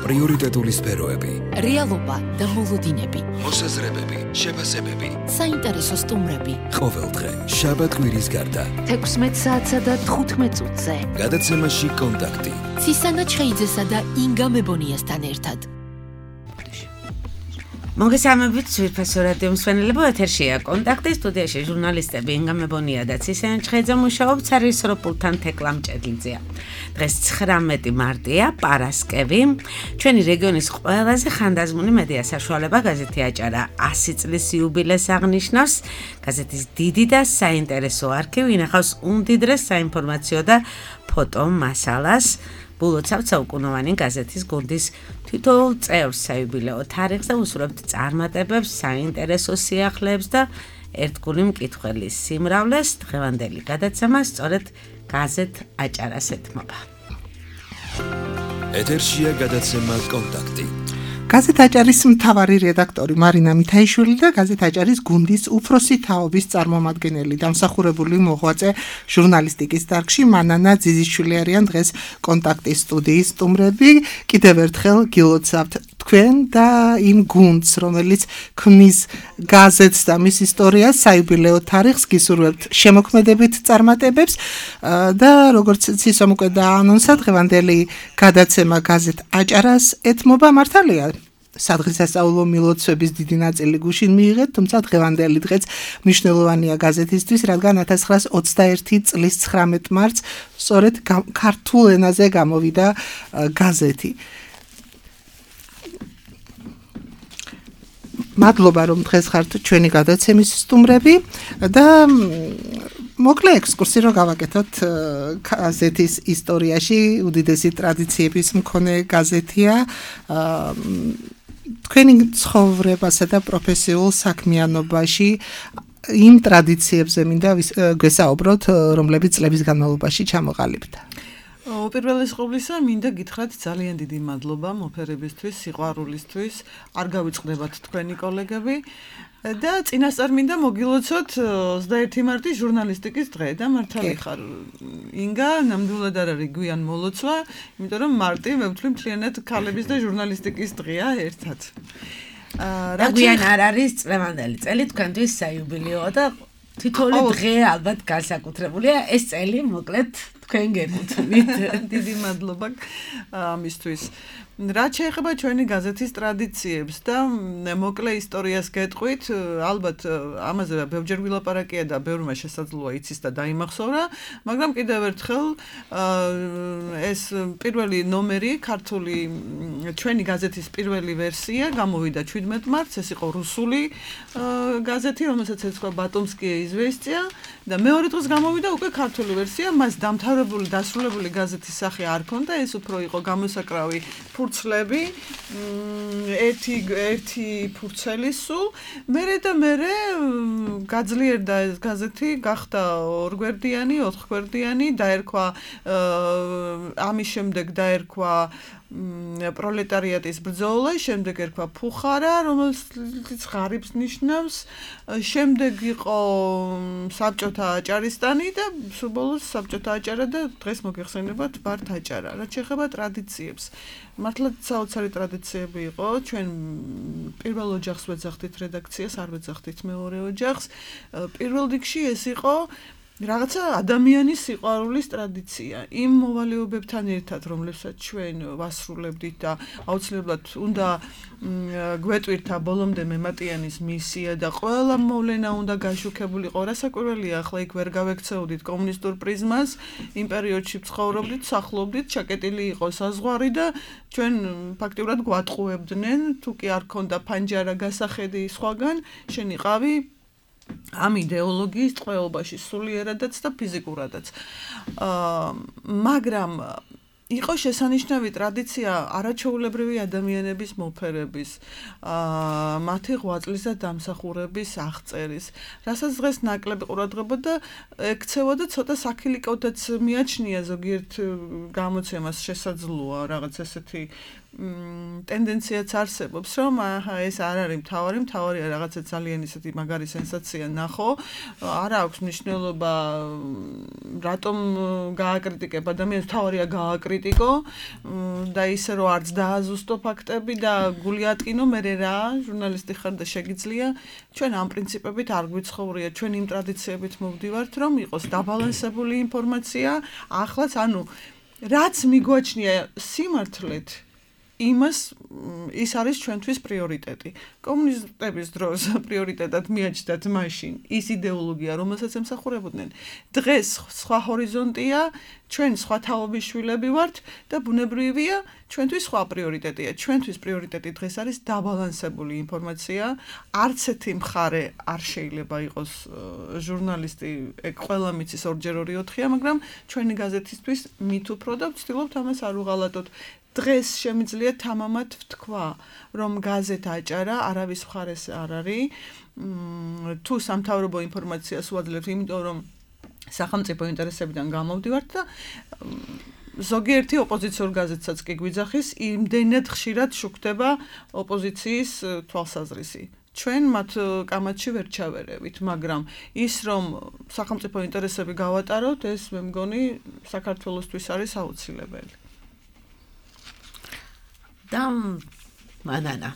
პრიორიტეტული სფეროები, რეალობა და მოლოდინები, მოსაზრებები, შეფასებები, საინტერესო სტუმრები. ყოველდღე, შაბათ-კვირის გარდა, 16 საათსა და 15 წუთზე. გადაცემაში კონტაქტი. ცისანა ჩხეიძესა და ინგა მებონიასთან ერთად. მოგესალმებით, სვირფასო რადიო მსმენელებო, ეთერშია კონტაქტი, სტუდიაში ჟურნალისტები ინგა მებონია და ცისანა ჩხეიძე მუშაობს, არის როპულთან თეკლა მჭედლიძეა. დღეს 19 მარტია, პარასკევი. ჩვენი რეგიონის ყველაზე ხანდაზმული მედია საშუალება გაზეთი აჭარა 100 წლის იუბილეს აღნიშნავს. გაზეთის დიდი და საინტერესო არქივი ინახავს უმდიდრეს საინფორმაციო და ფოტო მასალას. ბულოცავთ საუკუნოვანი გაზეთის გუნდის თითოეულ წევრს საიუბილეო თარიღს და უსურვებთ წარმატებებს, საინტერესო სიახლეებს და ერთგული მკითხველის სიმრავლეს. დღევანდელი გადაცემა სწორედ გაზეთ აჭარას ეთმობა. ეთერშია გადაცემა კონტაქტი. გაზეთ აჭარის მთავარი რედაქტორი მარინა მითაიშვილი და გაზეთ აჭარის გუნდის უფროსი თაობის წარმომადგენელი დამსახურებული მოღვაწე ჟურნალისტიკის დარგში მანანა ძიზიშვილი არიან დღეს კონტაქტის სტუდიის სტუმრები. კიდევ ერთხელ გილოცავთ თქვენ და იმ გუნდს, რომელიც ქმნის გაზეთს და მის ისტორიას, საიუბილეო თარიღს, გისურვებთ შემოქმედებით წარმატებებს და როგორც ცისომ უკვე დაანონსა, დღევანდელი გადაცემა გაზეთ აჭარას ეთმობა. მართალია სადღესასწაულო მილოცვების დიდი ნაწილი გუშინ მიიღეთ, თუმცა დღევანდელი დღეც მნიშვნელოვანია გაზეთისთვის, რადგან 1921 წლის 19 მარტს სწორედ ქართულ ენაზე გამოვიდა გაზეთი. მადლობა რომ დღეს ხართ ჩვენი გადაცემის სტუმრები და მოკლე ექსკურსი რომ გავაკეთოთ გაზეთის ისტორიაში. უდიდესი ტრადიციების მქონე გაზეთია. თქვენი ცხოვრებასა და პროფესიულ საქმიანობაში იმ ტრადიციებზე მინდა გვესაუბროთ, რომლებიც წლების განმავლობაში ჩამოყალიბდა. უპირველეს ყოვლისა, მინდა გითხრათ ძალიან დიდი მადლობა მოფერებისთვის, სიყვარულისთვის. არ გავიწყდებათ თქვენი კოლეგები და წინასწარ მინდა მოგილოცოთ 21 მარტის ჟურნალისტიკის დღე და მართალი ხარ ინგა, ნამდვილად არ არის გვიან მოლოცვა, იმიტომ რომ მარტი მე ვთვლი მთლიანად ქალების და ჟურნალისტიკის დღეა ერთად. და გვიან არ არის წლევანდელი წელი თქვენთვის საიუბილეო და თითოეული დღე ალბათ განსაკუთრებულია. ეს წელი მოკლედ თქვენ გეკუთვნით. დიდი მადლობა ამისთვის. რაც შეეხება ჩვენი გაზეთის ტრადიციებს და მოკლე ისტორიას გეტყვით, ალბათ ამაზე ბევრჯერ ვილაპარაკია და ბევრმა შესაძლოა იცის და დაიმახსოვრა, მაგრამ კიდევ ერთხელ ეს პირველი ნომერი, ქართული ჩვენი გაზეთის პირველი ვერსია გამოვიდა 17 მარტს, ეს იყო რუსული გაზეთი, რომელსაც ეძღვა ბატონსკიე იზვესტია და მეორე დღეს გამოვიდა უკვე ქართული ვერსია, მას დასრულებული გაზეთის სახე არ ჰქონდა, ეს უფრო იყო გამოსაკრავი ფურცლები, ერთი ფურცელი სულ. მერე გაძლიერდა ეს გაზეთი, გახდა ორგვერდიანი, ოთხგვერდიანი, დაერქვა ამის შემდეგ დაერქვა პროლეტარიატის ბრძოლა, შემდეგ ერქვა ფუხარა, რომელიც ღარიბს ნიშნავს, შემდეგ იყო საბჭოთა აჭარისტანი და სულ ბოლოს საბჭოთა აჭარა და დღეს მოგეხსენებათ ვართ აჭარა. რაც შეეხება ტრადიციებს, მართლაც საოცარი ტრადიციები იყო. ჩვენ პირველ ოჯახს ვეძახდით რედაქციას, არ ვეძახდით მეორე ოჯახს. პირველ რიგში ეს იყო რაღაცა ადამიანის სიყვარულის ტრადიცია. იმ მოვალეობებთან ერთად, რომლებსაც ჩვენ ვასრულებდით და აუცილებლად უნდა გვეტვირთა ბოლომდე მემატიანის მისია და ყველა მოვლენა უნდა გაშუქებულიყო. რასაკვირველია, ახლა იქ ვერ გავექცეოდით კომუნისტურ პრიზმას, იმ პერიოდში ცხოვრობდით, სახლობდით, ჩაკეტილი იყო საზღვარი და ჩვენ ფაქტიურად გვატყუებდნენ, თუ კი არ ქონდა ფანჯარა გასახედი სხვაგან, შენ იყავი ამ იდეოლოგიის ტყვეობაში სულიერადაც და ფიზიკურადაც. მაგრამ იყო შესანიშნავი ტრადიცია არაჩვეულებრივი ადამიანების მოფერების, მათი ღვაწლის და დამსახურების აღწერის, რასაც დღეს ნაკლები ყურადღება და ექცევა და ცოტა საქილიკოდაც მიაჩნია ზოგიერთ გამოცემას შესაძლოა რაღაც ესეთი ტენდენციაც არსებობს, რომ ეს არ არის მთავარია რაღაცა ძალიან ისეთი მაგარი სენსაცია ნახო, არ აქვს მნიშვნელობა რატომ გააკრიტიკებ ადამიანს, მთავარია გააკრიტიკებ აკრიტიკო და ისე რომ არც დააზუსტო ფაქტები და გული ატკინო მე რა ჟურნალისტი ხარ და შეგიძლია ჩვენ ამ პრინციპებით არ გვიცხოვრია ჩვენ იმ ტრადიციებით მოვდივართ რომ იყოს დაბალანსებული ინფორმაცია ახლაც ანუ რაც მიგვაჩნია სიმართლედ იმას ის არის ჩვენთვის პრიორიტეტი. კომუნისტების დროს პრიორიტეტად მიაჩნდათ მაშინ ის იდეოლოგია, რომელსაც ემსახურებოდნენ. დღეს სხვა ჰორიზონტია, ჩვენ სხვა თაობის შვილები ვართ და ბუნებრივია, ჩვენთვის სხვა პრიორიტეტია. ჩვენთვის პრიორიტეტი დღეს არის დაბალანსებული ინფორმაცია. არც ერთი მხარე არ შეიძლება იყოს ჟურნალისტი, ეგ ყველა მიცის 2x2-4-ია, მაგრამ ჩვენი გაზეთისთვის მით უფრო და ვცდილობთ ამას არ უღალატოთ. დღეს შემიძლია თამამად ვთქვა, რომ გაზეთა აჭარა არავის მხარეს არ არის. თუ სამთავრობო ინფორმაციას ვაძლევთ, იმიტომ რომ სახელმწიფო ინტერესებიდან გამოვდივართ და ზოგიერთი ოპოზიციურ გაზეთსაც კი გვიძახის, იმდენად ხშირად შუქდება ოპოზიციის თვალსაზრისი. ჩვენ მათ კამათში ვერ ჩავერევით, მაგრამ ის რომ სახელმწიფო ინტერესები გავატაროთ, ეს მე მგონი საქართველოსთვის არის აუცილებელი. და მანანა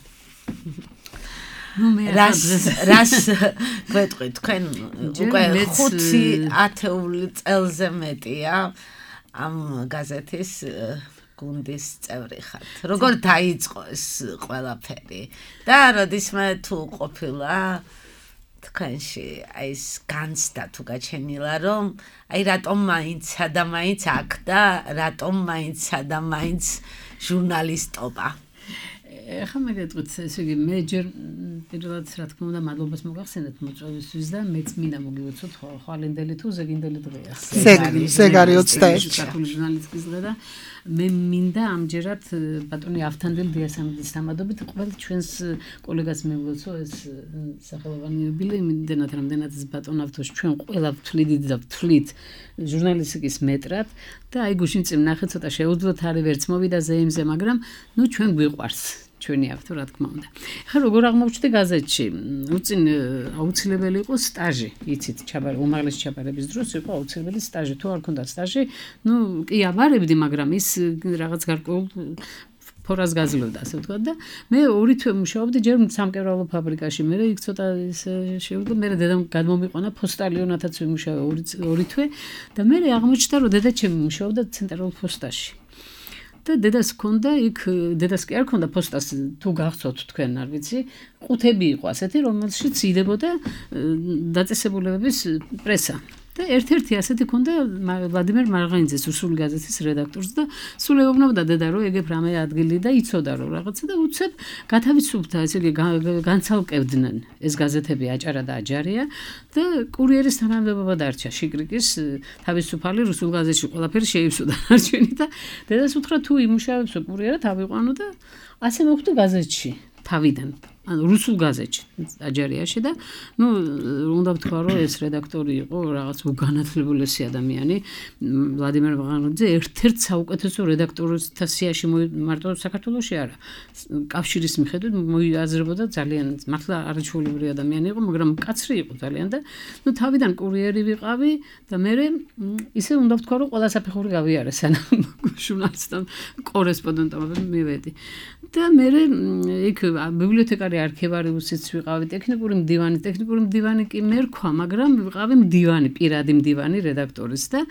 რას გვეტყვი თქვენ უკვე 5-10 წელზე მეტია ამ გაზეთის გუნდის წევრი ხართ. როგორ დაიწყო ეს ყველაფერი და როდისმე თუ ყოფილა თქვენში აი ეს განცდა თუ გაჩენილა რომ აი რატომ მაინცა და მაინც აქ და რატომ მაინცა და მაინც ჟურნალისტობა. ეხლა მე გეტყვით, ესე იგი მე ჯერ პირველად რა თქმა უნდა მადლობას მოგახსენეთ მოწვევისთვის და მეც მინდა მოგივოცოთ ხვალინდელი თუ ზეგინდელი დღეა. ზეგარი 21 ქართული ჟურნალისტიკის დღე და მე მინდა ამჯერად ბატონი ავთანდილ დიასამიძის დამადობით ყველა ჩვენს კოლეგას მივუცო ეს სახელოვანი იუბილე იმდენად რამდენად ბატონ ავთოს ჩვენ ყველა ვთვლით და ვთვლით ჟურნალისტიკის მეტრად და აი გუშინ წინ ნახე ცოტა შეუძლოთ არის ვერც მოვიდა ზეიმზე მაგრამ ნუ ჩვენ გვიყვარს ჩვენი ავთო რა თქმა უნდა. ხა როგორ აღმოჩნდა გაზეთში? უწინ აუცილებელი იყო სტაჟი, იცით, უმაღლესი ჩაბარების დროს იყო აუცილებელი სტაჟი. თუ არ ქონდა სტაჟი, ნუ კი აბარებდი, მაგრამ ის რაღაც გარკვეულ ფორას გაძლევდა, ასე ვთქვათ და მე 2 თვე მუშაობდი ჯერ სამკერვალო ფაბრიკაში. მე იქ ცოტა შევიდა, მე დედამ გადმომიყვანა პოსტალიონათაც ვიმუშავე 2 თვე და მე აღმოჩნდა რომ დედა ჩემი მუშაობდა ცენტრალურ პოსტაში. და დედას ჰქონდა იქ დედას კი არ ჰქონდა პოსტას თუ გახსოვთ თქვენ არ ვიცი ყუთები იყო ასეთი რომელშიც იდებოდა დაწესებულებების პრესა და ერთ-ერთი ასეთი ჰქონდა ვლადიმერ მარღანიძეს რუსული გაზეთის რედაქტორს და სულ ეუბნებოდა დედა რომ ეგებ რამე ადგილი და იცოდა რომ რაღაცა და უცებ გათავისუფლდა ესე იგი განცალკევდნენ ეს გაზეთები აჭარა და აჯარია და კურიერის თანამდებობა დარჩა შიკრიკის თავისუფალი რუსულ გაზეთში ყველაფერი შეივსო დარჩენი და დედას უთხრა თუ იმუშავებსო კურიერად ავიყვანო და ასე მოხდა გაზეთში თავიდან ანუ რუსულ გაზეთში აჯარიაში და ნუ უნდა ვთქვა რომ ეს რედაქტორი იყო რაღაც უგანათლებულესი ადამიანი ვლადიმერ მარღანიძე ერთ-ერთ საუკეთესო რედაქტორთა სიაში მარტო საქართველოში არა კავშირის მიხედვით მოიაზრებოდა ძალიან მართლა არაჩვეულებრივი ადამიანი იყო მაგრამ კაცრი იყო ძალიან და ნუ თავიდან კურიერი ვიყავი და მე ისე უნდა ვთქვა რომ ყველა საფეხური გავიარე სანამ ჟურნალისტად კორესპონდენტად მივედი და მე იქ ბიბლიოთეკარი არქივარიუსიც ვიყავი ტექნიკური მდივანი კი მე რქვა მაგრამ ვიყავი მდივანი პირადი მდივანი რედაქტორის და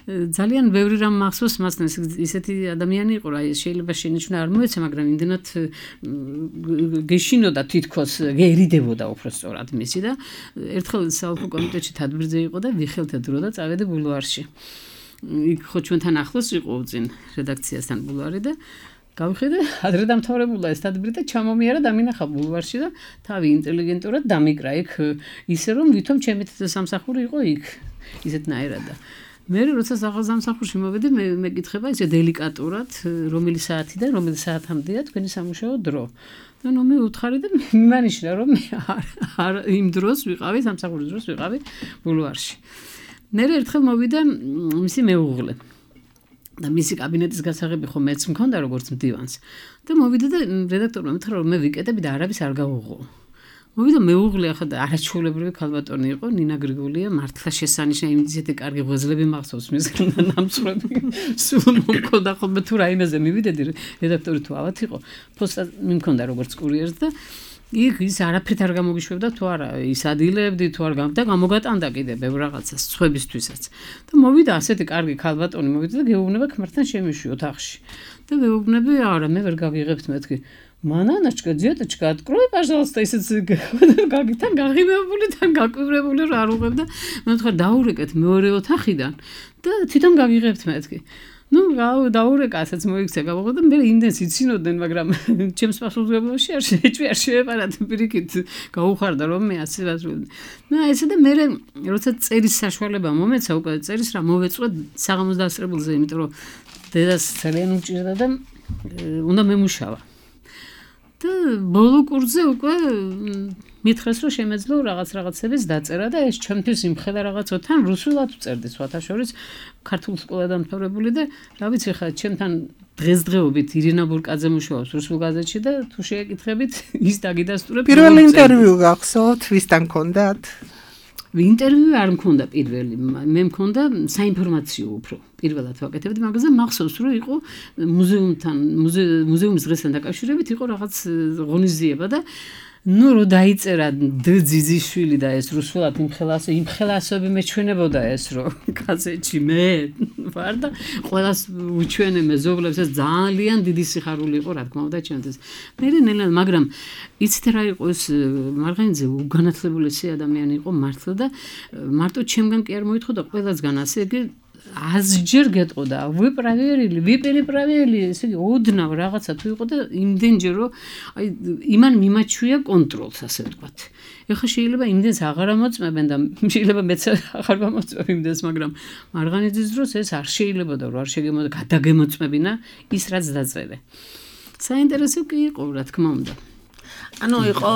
ძალიან ბევრი რამ მახსოვს მასთან ისეთი ადამიანი იყო რა შეიძლება შენიშნა არ მოეცა მაგრამ იმდენად გეშინოდა თითქოს გერიდებოდა უფრო სწორად მისი და ერთხელ საოლქო კომიტეტში თადბირზე იყო და ვიხელთე დრო და წავედი ბულვარში იქ ხო ჩვენთან ახლოს იყო უწინ რედაქციასთან ბულვარი და გავიხედე ადრე დამთავრებულა ეს თადბირი და ჩამომიარა დამინახა ბულვარში და თავი ინტელიგენტურად დამიკრა იქ ისე რომ ვითომ ჩემი სამსახური იყო იქ ისეთნაირად და მე როცა სამსახურში მოვედი მე მეკითხება ისე დელიკატურად რომელი საათი და რომელი საათამდეა თქვენი სამუშაო დრო და ნუ მე უთხარი და მიმანიშნა რომ არ იმ დროს ვიყავი სამსახურის დროს ვიყავი ბულვარში მე ერთხელ მოვიდა მისი მეუღლე და მისი კაბინეტის გასაღები ხო მეც მქონდა როგორც მდივანს და მოვიდა და რედაქტორმა მითხრა რომ მე ვიკეტები და არავის არ გავუღო. მოვიდა მეუღლე ახლა და არაჩვეულებრივი ქალბატონი იყო ნინა გრიგოლია მართლა შესანიშნავი იმითი კარგი ღვიძლები მახსოვს მის ნამცხრები სულ მომქონდა ხოლმე თუ რაიმეზე მივიდედი რედაქტორი თუ ავად იყო ფოსტა მიმქონდა როგორც კურიერს და ის არაფერთ არ გამოგიშვებდა თუ არა ის ადილებდი თუ არ და გამოგატანდა კიდე ბევრ რაღაცას სხვებისთვისაც და მოვიდა ასეთი კარგი ქალბატონი მოვიდა და გეუბნება ქმართან შემიშვი ოთახში და ვეუბნები არა მე ვერ გაგიღებთ მეთქი მანანაჩკა ძიატაჩკა открой пожалуйста ისიც გაგითან გაღიმებული თან გაკვირებული რა არ უღებ და მე ვთქვა დაურეკეთ მეორე ოთახიდან და თვითონ გაგიღებთ მეთქი ну დაურეკა ასეც მოიქცე გავაღო და მე იმდენს იცინოდნენ მაგრამ ჩემს პასუხისმგებლობაში არ შეეპარათ პირიქით გაუხარდა რომ მე ასე ვაზრობდი და ესე და მე როცა წერის საშუალება მომეცა უკვე წერის რა მოვეწყვე საღამოს დასწრებულზე იმიტომ რომ დედას ძალიან უჭირდა და უნდა მემუშავა და ბოლო კურსზე უკვე მითხრეს რომ შემეძლო რაღაცების დაწერა და ეს ჩემთვის იმხელა რაღაცოთან რუსულად ვწერდი სხვათა შორის ქართულ სკოლა დამთავრებული და რა ვიცი ხა ჩემთან დღესდღეობით ირინა ბურკაძე მუშაობს რუსულ გაზეთში და თუ შეეკითხებით ის დაგიდასტურებს პირველი ინტერვიუ გახსოვთ ვისთან გქონდათ ინტერვიუ არ მქონდა პირველი მე მქონდა საინფორმაციო უფრო პირველად ვაკეთებდი მაგაზე მახსოვს რომ იყო მუზეუმის დღესთან დაკავშირებით იყო რაღაც ღონისძიება და ну რო დაიწერა ძიძიშვილი და ეს რუსულად იმხელასები მეჩვენებოდა ეს რომ გაზეთში მე ვარ და ყველას უჩვენე მეზობლებს ეს ძალიან დიდი სიხარული იყო რა თქმა უნდა ჩემთვის მე ნელა მაგრამ იცით რა იყო ეს მარღანიძე უგანათლებულესი ადამიანი იყო მართლა და მარტო ჩემგან კი არ მოითხოვდა ყველასგან ასე იგი ასჯერ გეტყოდა ვიპერიპრავილი ესე იგი ოდნავ რაღაცა თუ იყო და იმდენჯერ რომ აი იმან მიმაჩვია კონტროლს ასე ვთქვათ ეხლა შეიძლება იმდენს აღარ ამოწმებენ და შეიძლება მეც აღარ გამოწმებ იმდენს მაგრამ მარღანიძის დროს ეს არ შეიძლებოდა რომ არ შეგემოდა გადაგემოწმებინა ის რაც დაწერე საინტერესო კი იყო რა თქმა უნდა ანუ იყო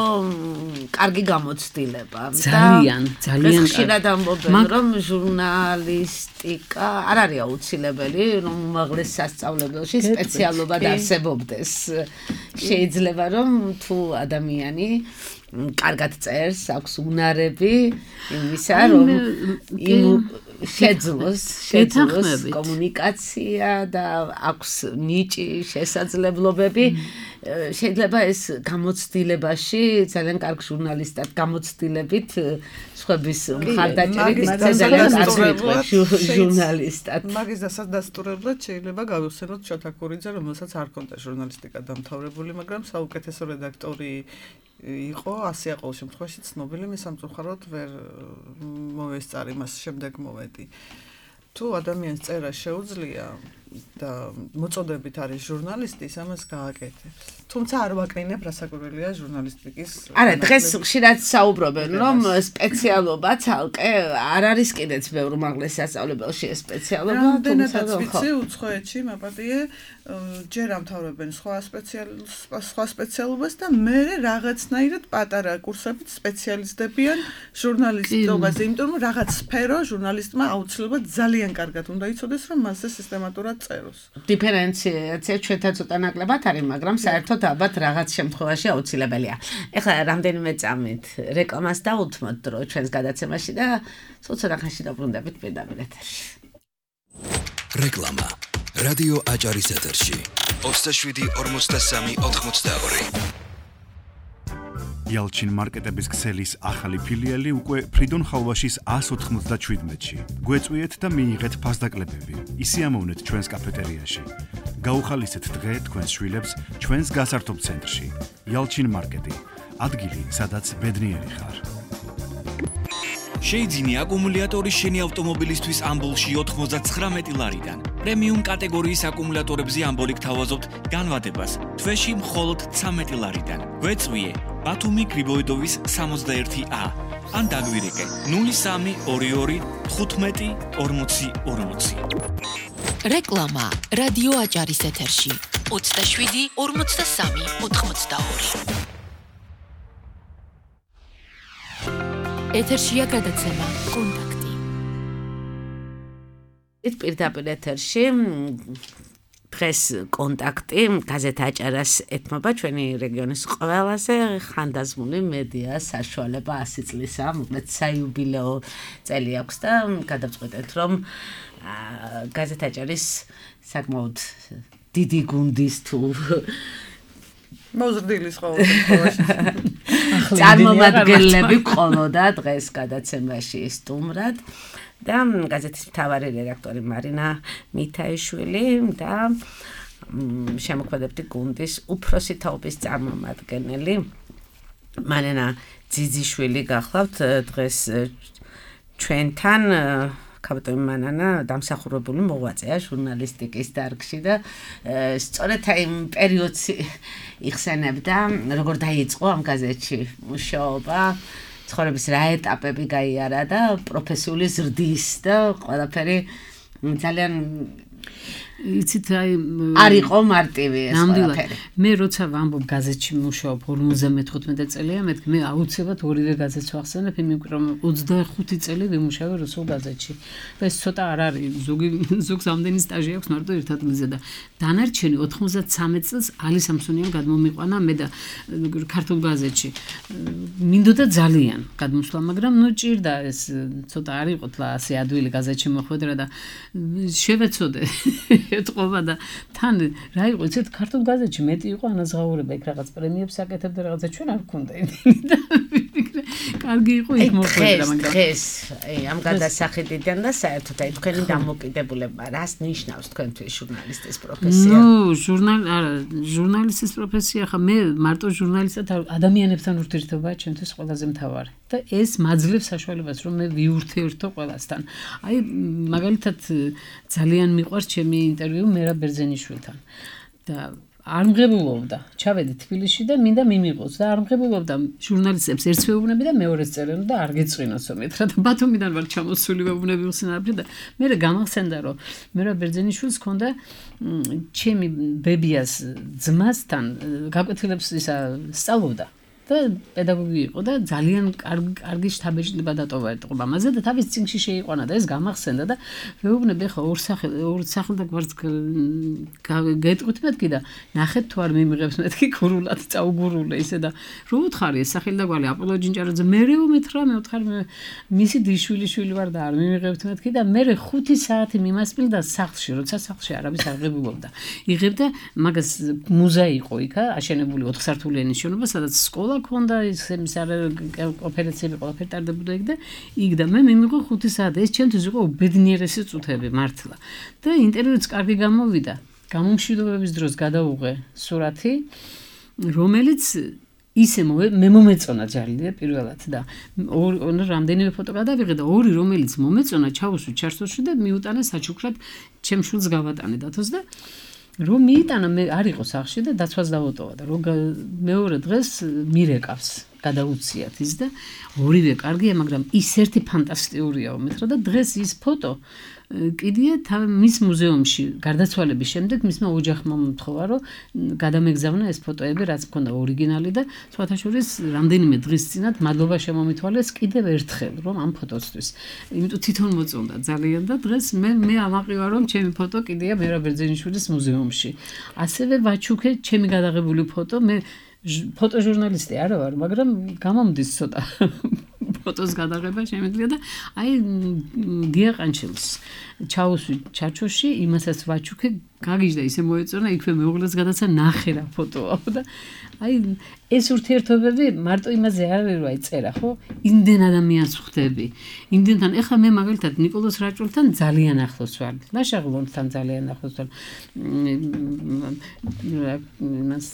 კარგი გამოცდილება ძალიან ხშირად ამბობენ რომ ჟურნალისტიკა არ არის აუცილებელი რომ უმაღლეს სასწავლებელში სპეციალობა დაარსებობდეს შეიძლება რომ თუ ადამიანი კარგად წერს აქვს უნარები იმისა რომ შეძლოს კომუნიკაცია და აქვს ნიჭი შესაძლებლობები შეიძლება ეს გამოცდილებაში ძალიან კარგ ჟურნალისტად გამოცდილებით სხვების მხარდაჭერით ჟურნალისტად მაგის დასადასტურებლად შეიძლება გავიხსენოთ შოთა ქურიძე რომელსაც არ ჰქონდა ჟურნალისტიკა დამთავრებული მაგრამ საუკეთესო რედაქტორი იყო ასე ყოველ შემთხვევაში ცნობილი მე სამწუხაროდ ვერ მოვესწარი მას შემდეგ მოვედი თუ ადამიანს წერა შეუძლია და მოწოდებით არის ჟურნალისტი ამას გააკეთებს თუმცა არ ვაკრინებ რასაკვირველია ჟურნალისტიკის არა დღეს ხშირად საუბრობენ რომ სპეციალობა ცალკე არ არის კიდეც ბევრ უმაღლეს სასწავლებელში ეს სპეციალობა თუმცა ვიცი უცხოეთში მაპატიე ჯერ ამთავრებენ სხვა სპეციალობას და მე რაღაცნაირად პატარა კურსებით სპეციალიზდებიან ჟურნალისტობაზე იმიტომ რომ რაღაც სფერო ჟურნალისტმა აუცილებლად ძალიან კარგად უნდა იცოდეს რომ მასზე სისტემატურად წეროს დიფერენციაცია ჩვენთან ცოტა ნაკლებად არის მაგრამ საერთოდ ალბათ რაღაც შემთხვევაში აუცილებელია ეხლა რამდენიმე წამით რეკლამას დავუთმოთ დრო ჩვენს გადაცემაში და ცოტა ხანში დაბრუნდებით პირდაპირ ეთერში რეკლამა რადიო აჭარის ეთერში 27-43-82 Yalchin marketების ქსელის ახალი ფილიალი უკვე ფრიდონ ხალვაშის 197-ში. გვეწვიეთ და მიიღეთ ფასდაკლებები. ისიამოვნეთ ჩვენს კაფეტერიაში. გაუხალისეთ დღე თქვენს შვილებს ჩვენს გასართობ ცენტრში. Yalchin marketi. ადგილი, სადაც ბედნიერი ხარ. შეიძინე აკუმულატორი შენი ავტომობილისთვის ამბოლში 99 ლარიდან. პრემიუმ კატეგორიის აკუმულატორებზე ამბოლი გთავაზობთ განვადებას თვეში მხოლოდ 13 ლარიდან. გვეწვიე ბათუმი გრიბოიდოვის 61A. ან დაგვირეკე 0322 15 40 40. რეკლამა რადიო აჭარის ეთერში 27 43 82. ეთერშია გადაცემა კონტაქტი. პირდაპირ ეთერში დღეს კონტაქტი გაზეთ აჭარას ეთმობა ჩვენი რეგიონის ყველაზე ხანდაზმული მედია საშუალება 100 წლისა, მოკლედ საიუბილეო წელი აქვს და გადავწყვეტეთ რომ გაზეთ აჭარის საკმაოდ დიდი გუნდის თუ მოზრდილის ყოველთვის წარმომადგენლები ყოლოდა დღეს გადაცემაში სტუმრად და გაზეთის მთავარი რედაქტორი მარინა მითაიშვილი და შემოქმედებითი გუნდის უფროსი თაობის წარმომადგენელი მარინა ძიძიშვილი გახლავთ დღეს ჩვენთან კაპიტანი მანანა დამსახურებული მოღვაწეა ჟურნალისტიკის დარგში და სწორედ იმ პერიოდს იხსენებდა როგორ დაიწყო ამ გაზეთში მუშაობა ცხოვრების რა ეტაპები გაიარა და პროფესიული ზრდის და ყველაფერი ძალიან იცით არ იყო მარტივი ეს ყველაფერი. მე როცა ვამბობ გაზეთში მუშაობ 55 წელია, მე აუცილებლად ორივე გაზეთს ვახსენებ, იმიტომ რომ 25 წელი ვიმუშავე რუსულ გაზეთში. და ეს ცოტა არ არის, ზოგს ამდენი სტაჟი აქვს მარტო ერთ ადგილზე და დანარჩენი 93 წელს ალი სამსონიამ გადმომიყვანა მე და ქართულ გაზეთში. მინდოდა ძალიან გადმოსვლა, მაგრამ ნუ ჭირდა ეს ცოტა არ იყო თლა ასე ადვილი გაზეთში მოხვედრა და შევეცოდე ეთყობა და თან რა იყო იცით ქართულ გაზეთში მეტი იყო ანაზღაურება იქ რაღაც პრემიებს აკეთებდა რაღაცა ჩვენ არ გქონდა იმენი და კარგი იყო იქ მოხვედრა მაგრამ დღეს ამ გადასახედიდან და საერთოდ აი თქვენი დამოკიდებულება რას ნიშნავს თქვენთვის ჟურნალისტის პროფესია? ჟურნალისტის პროფესია ხა მე მარტო ჟურნალისტად ადამიანებთან ურთიერთობაა ჩემთვის ყველაზე მთავარი და ეს მაძლევს საშუალებას რომ მე ვიურთიერთო ყველასთან. აი მაგალითად ძალიან მიყვარს ჩემი ინტერვიუ მერაბ ბერძენიშვილთან და არ მღებულობდა. ჩავედი თბილისში და მინდა მიმიყოს და არ მღებულობდა ჟურნალისტებს ერთს ვეუბნები და მეორეს წერენ და არ გეწვინოსო მეთქა და ბათუმიდან ვარ ჩამოსული ვეუბნები ხსენარფი და მე გამახსენდა რომ მერაბ ბერძენიშვილს ჰქონდა ჩემი ბებიას ძმასთან გაკვეთილებს ისა სწავლობდა და პედაგოგი იყო და ძალიან კარგი შთაბეჭდილება დატოვა ეტყობა მასზე და თავის წინში შეიყვანა და ეს გამახსენდა და ვეუბნები ხა ორ სახელ და გვარც გეტყვით მეთქი და ნახეთ თუ არ მიმიღებს მეთქი გურულად წაუგურულე ისე და რო უთხარი ეს სახელი და გვალი აპოლო ჯინჭარაძე მერე უმეთხრა მე უთხარი მისი დიშვილი ვარ და არ მიმიღებთ მეთქი და მე 5 საათი მიმასპილდა სახლში როცა სახლში არავის არ ღებულობდა იღებდა მაგას მუზეი იყო იქა აშენებული 4 სართულიანი შენობა სადაც სკოლა ქონდა ის ოპერაციები ყველაფერი ტარდებოდა იქ და იქ და მე მიმიღო 5 საათი ეს ჩემთვის იყო უბედნიერესი წუთები მართლა და ინტერვიუც კარგი გამოვიდა გამომშვიდობების დროს გადავუღე სურათი რომელიც ისე მე მომეწონა ჯალილი პირველად და რამდენიმე ფოტო გადავიღე და ორი რომელიც მომეწონა ჩავუსვი ჩარსოში და მიუტანა საჩუქრად ჩემ შვილს გავატანე დათოს და რომ მიიტანა მე არ იყო სახში და დაცვას დავუტოვა და რომ მეორე დღეს მირეკავს გადაუციათ ის და ორივე კარგია მაგრამ ის ერთი ფანტასტიკურია უმეთრა და დღეს ის ფოტო კიდია მის მუზეუმში გარდაცვალების შემდეგ მისმა ოჯახმა მომთხოვა რომ გადამეგზავნა ეს ფოტოები რაც მქონდა ორიგინალი და სხვათა შორის რამდენიმე დღის წინათ მადლობა შემომითვალეს კიდევ ერთხელ რომ ამ ფოტოსთვის იმიტომ თვითონ მოწონდა ძალიან და დღეს მე ამაყივა რომ ჩემი ფოტო კიდია მერაბ ბერძენიშვილის მუზეუმში ასევე ვაჩუქე ჩემი გადაღებული ფოტო მე ფოტოჟურნალისტი არა ვარ მაგრამ გამომდის ცოტა ფოტოს გადაღება შემიძლია და აი დიაყანჩელს ჩაუსვი ჩარჩოში იმასაც ვაჩუქე გაგიჟდა ისე მოეწონა იქვე მეუღლეს გადაცა ნახე რა ფოტოა და აი ეს ურთიერთობები მარტო იმაზე არ არის რომ აი წერა ხო იმდენ ადამიანს ხვდები იმდენთან ეხლა მე მაგალითად ნიკოლოზ რაჭულთან ძალიან ახლოს ვარ ლაშაღლონთან ძალიან ახლოს ვარ იმას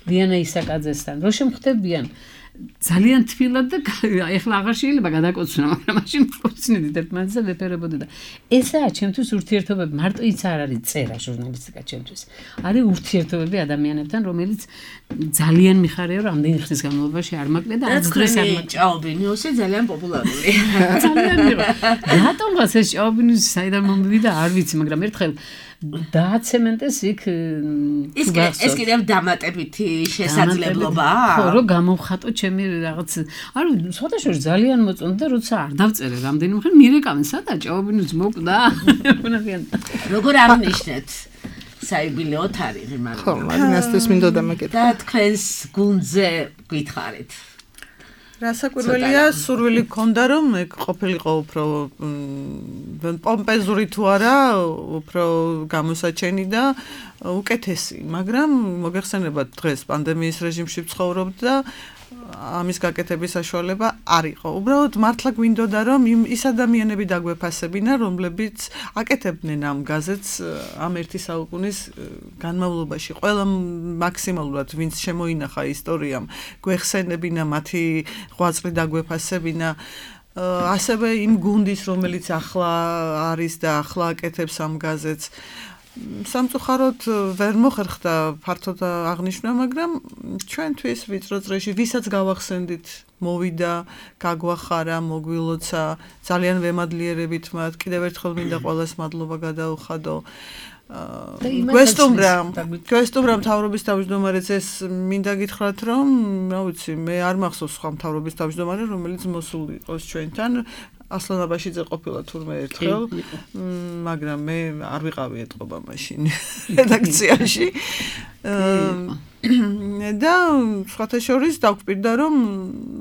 დიანა ისაკაძესთან რო შემხვდებიან ძალიან თბილად და ეხლა აღარ შეიძლება გადაკოცნა მაგრამ მაშინ ვწნიდით ერთმანეთზე ვეფერებოდი და ესაა ჩემთვის ურთიერთობები მარტო ის არ არის წერა ჟურნალისტიკა ჩემთვის არის ურთიერთობები ადამიანებთან რომელიც ძალიან მიხარია რომ ამდენი ხნის განმავლობაში არ მაკლია და არც დღეს არ მაკლია ჭაობინიუსი ძალიან პოპულარული ძალიან მიიღო რატომღაც ეს ჭაობინიუსი საიდან მომივიდა არ ვიცი მაგრამ ერთხელ დააცემენტეს იქ ეს კიდევ დამატებითი შესაძლებლობაა? ხო, რომ გამოვხატო ჩემი რაღაც, ანუ სხვადასხვა ძალიან მოწონდა, როცა არ დავწერე რამდენიმე ხანი მირეკავენ სადა ჭაობინუს მოკვდა. როგორ აღნიშნეთ? საიუბილეო თარიღი მაგრამ. ხო, მარინასთვის მინდოდა მეკითხა. და თქვენს გუნდზე გითხარით. რასაკვირველია, სურვილი გქონდა რომ ეგ ყოფილიყო უფრო პომპეზური თუ არა, უფრო გამოსაჩენი და უკეთესი, მაგრამ მოგეხსენებათ დღეს პანდემიის რეჟიმში ვცხოვრობთ და ამის გაკეთების საშუალება არ იყო. უბრალოდ მართლა გვინდოდა რომ ის ადამიანები დაგვეფასებინა, რომლებიც აკეთებდნენ ამ გაზეთს ამ ერთი საუკუნის განმავლობაში. ყველა მაქსიმალურად ვინც შემოინახა ისტორიამ, გვეხსენებინა მათი ღვაწლი დაგვეფასებინა. ასევე იმ გუნდის, რომელიც ახლა არის და ახლა აკეთებს ამ გაზეთს. სამწუხაროდ ვერ მოხერხდა ფართოდ აღნიშვნა, მაგრამ ჩვენთვის ვიწრო წრეში ვისაც გავახსენდით, მოვიდა, გაგვახარა, მოგვილოცა, ძალიან ვემადლიერებით მათ, კიდევ ერთხელ მინდა ყველას მადლობა გადაუხადო. გვესტუმრა მთავრობის თავმჯდომარეც ეს მინდა გითხრათ რომ, რა ვიცი, მე არ მახსოვს სხვა მთავრობის თავმჯდომარე, რომელიც მოსული იყოს ჩვენთან. ასლან აბაშიძე ყოფილა თურმე ერთხელ, მაგრამ მე არ ვიყავი ეთყობა მაშინ რედაქციაში. და სხვათა შორის დაგვპირდა რომ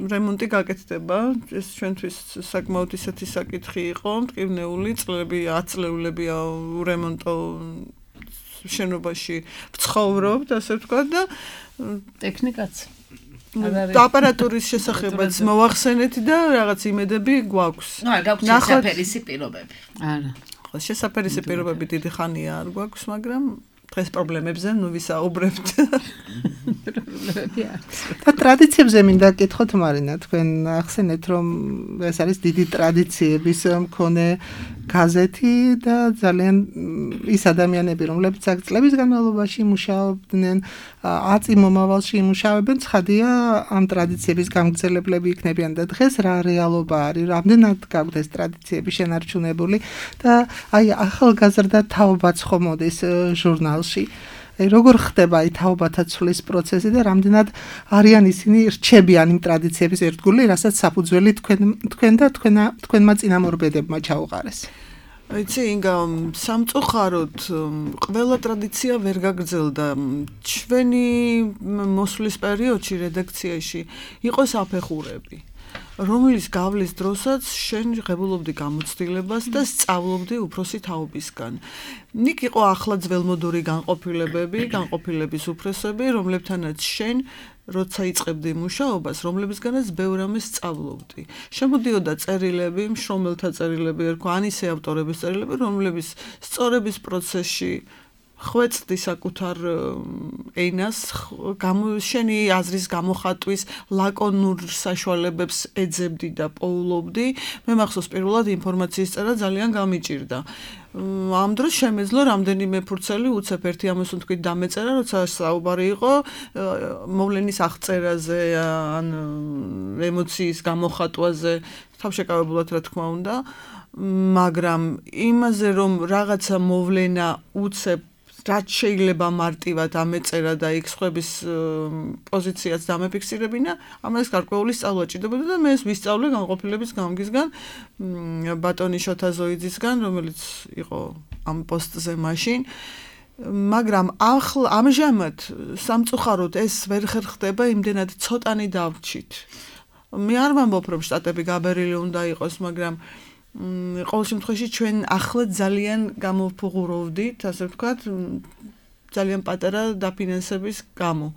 რემონტი გაკეთდება. ეს ჩვენთვის საკმაოდ ისეთი საკითხი იყო, მტკივნეული წლები, 10 წლეულებია ურემონტო შენობაში ვცხოვრობთ, ასე ვთქვათ და ტექნიკაც აპარატურის შესახებაც მოვახსენეთ და რაღაც იმედები გვაქვს. ნუ არ გაგვცეთ შესაფერისი პირობები. არა. ხო, შესაფერისი პირობები დიდი ხანია არ გვაქვს, მაგრამ დღეს პრობლემებზე ნუ ვისაუბრებთ. და ტრადიციებზე მინდა გკითხოთ მარინა, თქვენ ახსენეთ რომ ეს არის დიდი ტრადიციების მქონე გაზეთი და ძალიან ის ადამიანები, რომლებიც აქ წლების განმავლობაში მუშაობდნენ, აწი მომავალში იმუშავებენ, ცხადია ამ ტრადიციების გამგრძელებლები იქნებიან და დღეს რა რეალობა არის, რამდენად გაქვთ ეს ტრადიციები შენარჩუნებული და აი ახალგაზრდა თაობაც ხომ მოდის ჟურნალში. როგორ ხდება აი თაობათა ცვლის პროცესი და რამდენად არიან ისინი რჩებიან იმ ტრადიციების ერთგული, რასაც საფუძველი თქვენ და თქვენმა წინამორბედებმა ჩაუყარეს. იცი, ინგა, სამწუხაროდ ყველა ტრადიცია ვერ გაგრძელდა. ჩვენი მოსვლის პერიოდში რედაქციაში იყო საფეხურები, რომლის გავლის დროსაც შენ ღებულობდი გამოცდილებას და სწავლობდი უფროსი თაობისგან. ნიკ იყო ახლა ძველმოდური განყოფილების უფროსები, რომლებთანაც შენ როცა იწყებდი მუშაობას, რომლებისგანაც ბევრ ამას სწავლობდი. შემოდიოდა წერილები, მშრომელთა წერილები, ერქვა ან ისე ავტორების წერილები, რომლებიც სწორების პროცესში ხვეწდი საკუთარ ენას, შენი აზრის გამოხატვის ლაკონურ საშუალებებს ეძებდი და პოულობდი. მე მახსოვს პირველად ინფორმაციის წერა ძალიან გამიჭირდა. ამ დროს შემეძლო რამდენიმე ფურცელი უცებ ერთი ამას თქვით დამეწერა, როცა საუბარი იყო მოვლენის აღწერაზე, ან ემოციის გამოხატვაზე, თავშეკავებულად რა თქმა უნდა, მაგრამ იმაზე რომ რაღაცა მოვლენა უცებ რაც შეიძლება მარტივად ამეწერა და იქ სხვების პოზიციაც დამეფიქსირებინა, ამას გარკვეული სწავლა ჭირდებოდა და მე ეს ვისწავლე განყოფილების გამგისგან, ბატონი შოთა ზოიძისგან, რომელიც იყო ამ პოსტზე მაშინ. მაგრამ ამჟამად სამწუხაროდ ეს ვერ ხერხდება, იმდენად ცოტანი დავრჩით. მე არ ვამბობ რომ შტატები გაბერილი უნდა იყოს, მაგრამ ყოველ შემთხვევაში ჩვენ ახლა ძალიან გამოვფუღურავდით, ასე ვთქვათ, ძალიან პატარა დაფინანსების გამო.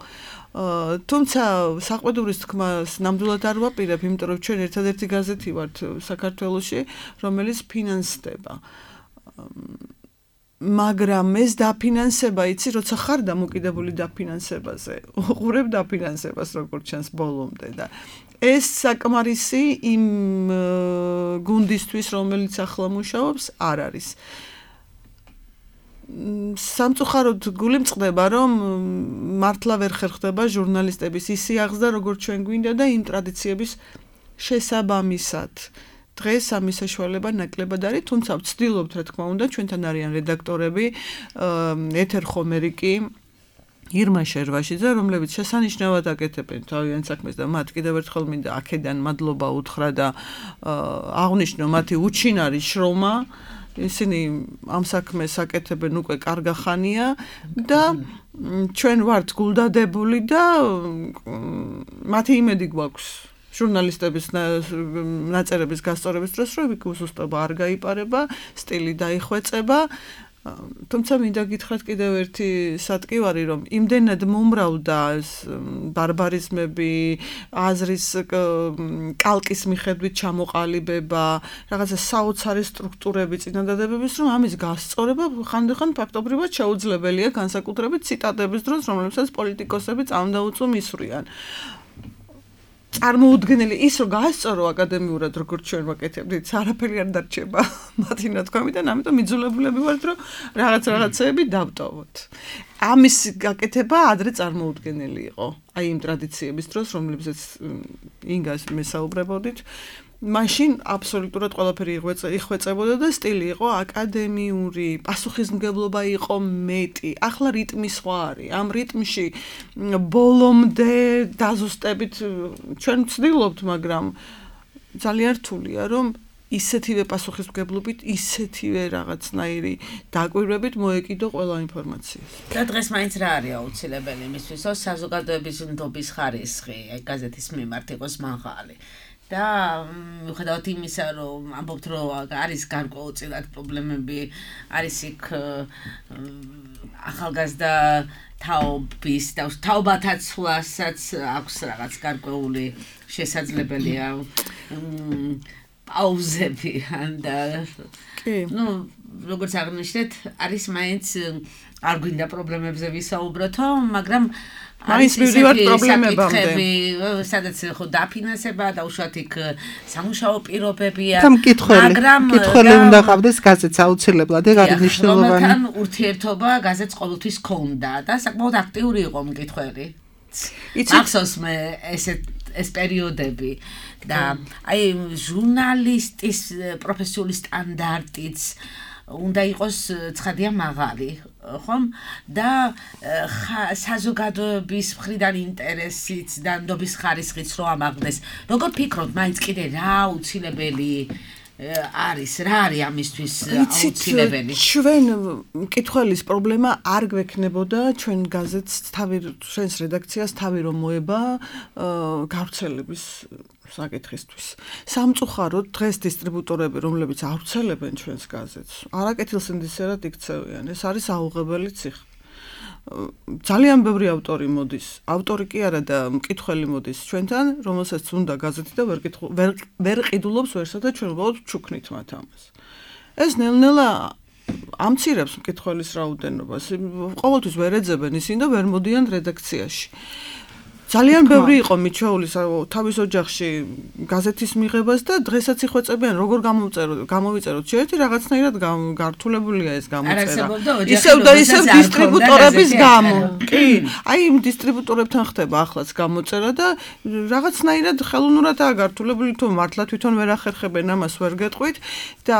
თუმცა საყვედურის თქმას ნამდვილად არ ვაპირებ, იმიტომ რომ ჩვენ ერთადერთი გაზეთი ვართ საქართველოში, რომელიც ფინანსდება. მაგრამ ეს დაფინანსება, იცი, როცა ხარ დამოკიდებული დაფინანსებაზე, უყურებ დაფინანსებას როგორც ჩანს ბოლომდე და ეს საკმარისი იმ გუნდისთვის, რომელიც ახლა მუშაობს, არ არის. სამწუხაროდ გული მწყდება, რომ მართლა ვერ ხერხდება ჟურნალისტების ის სიაღზდა, როგორც ჩვენ გვინდა და იმ ტრადიციების შესაბამისად. დღეს ამის საშუალება ნაკლებად არის, თუმცა ვცდილობთ, რა თქმა უნდა, ჩვენთან არიან რედაქტორები, ეთერ ხომერიკი, ირმა შერვაშიძე, რომლებიც შესანიშნავად აკეთებენ თავიანთ საქმეს და მათ კიდევ ერთხელ მინდა აქედან მადლობა უთხრა და აღნიშნო მათი უჩინარი შრომა. ისინი ამ საქმეს აკეთებენ უკვე კარგა ხანია და ჩვენ ვართ გულდადებული და მათი იმედი გვაქვს ჟურნალისტების ნაწერების გასწორების დროს, რომ იქ უსუსტობა არ გაიპარება, სტილი დაიხვეწება. თუმცა მინდა გითხრათ კიდევ ერთი სატკივარი, რომ იმდენად მომრავლდა ბარბარიზმები, აზრის კალკის მიხედვით ჩამოყალიბება, რაღაცა საოცარი სტრუქტურები, წინადადებების, რომ ამის გასწორება ხანდახან ფაქტობრივად შეუძლებელია, განსაკუთრებით ციტატების დროს, რომლებსაც პოლიტიკოსები წამდაუწუ მისვრიან. წარმოუდგენელი ის რომ გაასწორო აკადემიურად როგორც ჩვენ ვაკეთებდით, არაფერი არ დარჩება მათი ნათქვამიდან, ამიტომ იძულებულები ვართ რომ რაღაცეები დავტოვოთ. ამის გაკეთება ადრე წარმოუდგენელი იყო. აი იმ ტრადიციების დროს, რომლებზეც ინგას მესაუბრებოდით, მაშინ აბსოლუტურად ყველაფერი იხვეწებოდა და სტილი იყო აკადემიური, პასუხისმგებლობა იყო მეტი. ახლა რიტმი სხვა არის. ამ რიტმში ბოლომდე დაზუსტებით ჩვენ ვცდილობთ, მაგრამ ძალიან რთულია, რომ ისეთივე პასუხისმგებლობით, ისეთივე რაღაცნაირი დაკვირვებით მოეკიდო ყველა ინფორმაცია. და დღეს მაინც რა არის აუცილებელი იმისთვის, რომ საზოგადოების ნდობის ხარისხი გაზეთის მიმართ იყოს მაღალი. და მიუხედავად იმისა, რომ ამბობთ, რომ არის გარკვეულწილად პრობლემები, არის იქ ახალგაზრდა თაობის და თაობათა ცვლასაც აქვს რაღაც გარკვეული შესაძლებელია პაუზები და ну, როგორც აღნიშნეთ, არის მაინც არ გვინდა პრობლემებზე ვისაუბროთო, მაგრამ მაინც მივიდივართ პრობლემებამდე. სადაც ხო დაფინანსება და უშუალოდ იქ სამუშაო პირობებია, მაგრამ კითხველი უნდა ყავდეს გაზეთს აუცილებლად, ეგ არის მნიშვნელოვანი. რომელთან ურთიერთობა გაზეთს ყოველთვის ჰქონდა და საკმაოდ აქტიური იყო მკითხველი. მახსოვს მე ეს პერიოდები და აი ჟურნალისტის პროფესიული სტანდარტიც უნდა იყოს ცხადია მაღალი, ხომ? და საზოგადოების მხრიდან ინტერესიც და ნდობის ხარისხიც რო ამაღლდეს. როგორ ფიქრობთ, მაინც კიდე რა აუცილებელი არის, რა არის ამისთვის აუცილებელი? ჩვენ მკითხველის პრობლემა არ გვექნებოდა ჩვენ გაზეთს ჩვენს რედაქციას თავი რომ მოება გავრცელების საკითხისთვის. სამწუხაროდ დღეს დისტრიბუტორები, რომლებიც ავრცელებენ ჩვენს გაზეთს, არაკეთილსინდისერად იქცევიან. ეს არის აუღებელი ციხე. ძალიან ბევრი ავტორი მოდის, ავტორი კი არა და მკითხველი მოდის ჩვენთან, რომელსაც უნდა გაზეთი და ვერ ყიდულობს ვერსა და ჩვენ უბრალოდ ჩუქნით მათ ამას. ეს ნელ-ნელა ამცირებს მკითხველის რაოდენობას. ყოველთვის ვერ ეძებენ ისინი და ვერ მოდიან რედაქციაში. ძალიან ბევრი იყო მიჩვეული თავის ოჯახში გაზეთის მიღებას და დღესაც იხვეწებიან როგორ გამოვიწეროთ შეერთი რაღაცნაირად გართულებულია ეს გამოწერა. ისევ და ისევ დისტრიბუტორების გამო. კი, აი იმ დისტრიბუტორებთან ხდება ახლაც გამოწერა და რაღაცნაირად ხელოვნურადაა გართულებული, თუ მართლა თვითონ ვერ ახერხებენ ამას ვერ გეტყვით და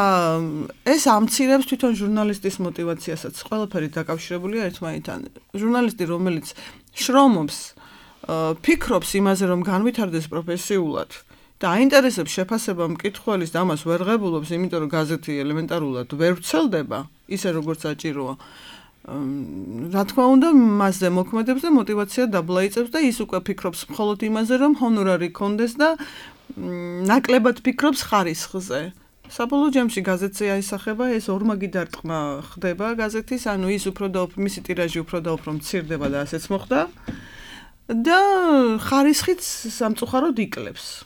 ეს ამცირებს თვითონ ჟურნალისტის мотиваციასაც. ყველაფერი დაკავშირებულია ერთმანეთთან. ჟურნალისტი, რომელიც შრომობს ფიქრობს იმაზე, რომ განვითარდეს პროფესიულად და აინტერესებს შეფასება მკითხველის და ამას ვერ ღებულობს, იმიტომ რომ გაზეთი ელემენტარულად ვერ ვრცელდება, ისე როგორც საჭიროა. რა თქმა უნდა, მასზე მოქმედებს და мотиваცია დაბლაიწებს და ის უკვე ფიქრობს მხოლოდ იმაზე, რომ ჰონორარი კონდეს და ნაკლებად ფიქრობს ხარისხზე. საბოლოო ჯამში გაზეთზე აისახება ეს ორმაგი დარტყმა ხდება გაზეთის, ანუ ის უფრო და მისი ტირაჟი უფრო და უფრო მცირდება და ასეც მოხდა. და ხარისხიც სამწუხაროდ იკლებს.